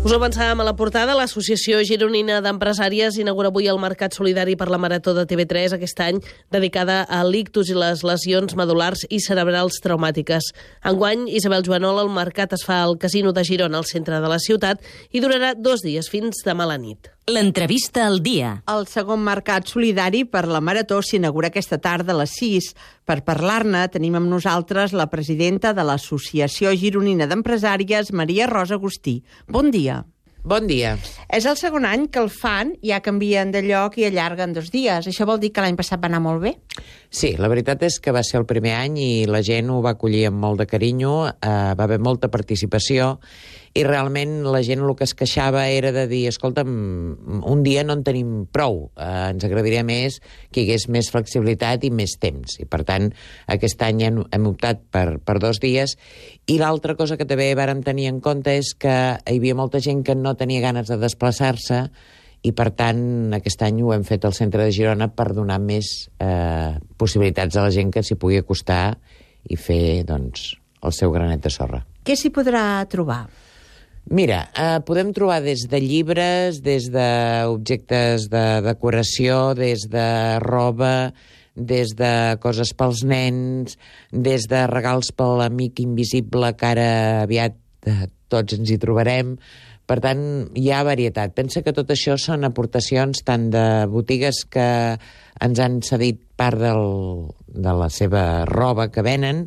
Us ho avançàvem a la portada. L'Associació Gironina d'Empresàries inaugura avui el Mercat Solidari per la Marató de TV3 aquest any, dedicada a l'ictus i les lesions medul·lars i cerebrals traumàtiques. Enguany, Isabel Joanol, el mercat es fa al Casino de Girona, al centre de la ciutat, i durarà 2 dies, fins demà a la nit. L'entrevista al dia. El segon mercat solidari per la Marató s'inaugura aquesta tarda a les 6. Per parlar-ne tenim amb nosaltres la presidenta de l'Associació Gironina d'Empresàries, Maria Rosa Agustí. Bon dia. Bon dia. És el segon any que el fan, ja canvien de lloc i allarguen 2 dies. Això vol dir que l'any passat va anar molt bé? Sí, la veritat és que va ser el primer any i la gent ho va acollir amb molt de carinyo, va haver molta participació i realment la gent el que es queixava era de dir, escolta'm, un dia no en tenim prou, ens agradaria més que hi hagués més flexibilitat i més temps. I per tant, aquest any hem optat per 2 dies. I l'altra cosa que també vàrem tenir en compte és que hi havia molta gent que no tenia ganes de desplaçar-se i per tant aquest any ho hem fet al centre de Girona per donar més possibilitats a la gent que s'hi pugui acostar i fer, doncs, el seu granet de sorra. Què s'hi podrà trobar? Mira, podem trobar des de llibres, des d'objectes de decoració, des de roba, des de coses pels nens, des de regals per l'amic invisible que ara aviat tots ens hi trobarem. Per tant, hi ha varietat. Pensa que tot això són aportacions tant de botigues que ens han cedit part de la seva roba que venen,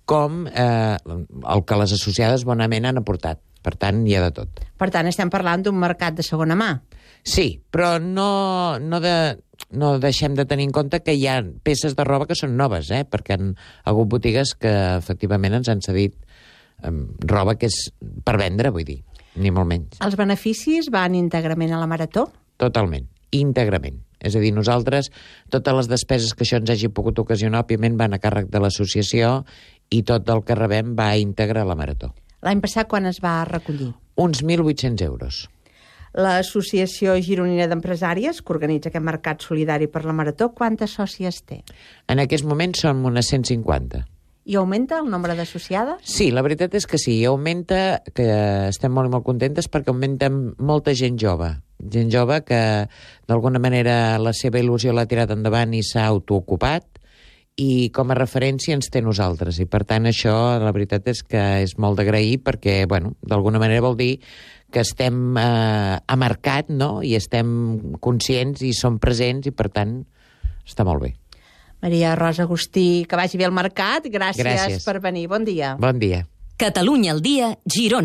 com el que les associades bonament han aportat. Per tant, hi ha de tot. Per tant, estem parlant d'un mercat de segona mà. Sí, però no deixem de tenir en compte que hi ha peces de roba que són noves, perquè han hagut botigues que efectivament ens han cedit roba que és per vendre, vull dir, ni molt menys. Els beneficis van íntegrament a la Marató? Totalment, íntegrament. És a dir, nosaltres, totes les despeses que això ens hagi pogut ocasionar, òbviament, van a càrrec de l'associació i tot el que rebem va íntegre a la Marató. L'any passat, quan es va recollir? Uns 1.800 euros. L'Associació Gironina d'Empresàries, que organitza aquest mercat solidari per la Marató, quantes sòcies té? En aquest moment som unes 150. I augmenta el nombre d'associades? Sí, la veritat és que sí, augmenta, que estem molt i molt contentes perquè augmenta molta gent jove que d'alguna manera la seva il·lusió l'ha tirat endavant i s'ha autoocupat, i com a referència ens té nosaltres. I per tant això, la veritat és que és molt d'agrair perquè, bueno, d'alguna manera vol dir que estem a mercat, no?, i estem conscients i som presents i per tant està molt bé. Maria Rosa Agustí, que vagi bé al mercat. Gràcies per venir. Bon dia. Bon dia. Catalunya al dia, Girona.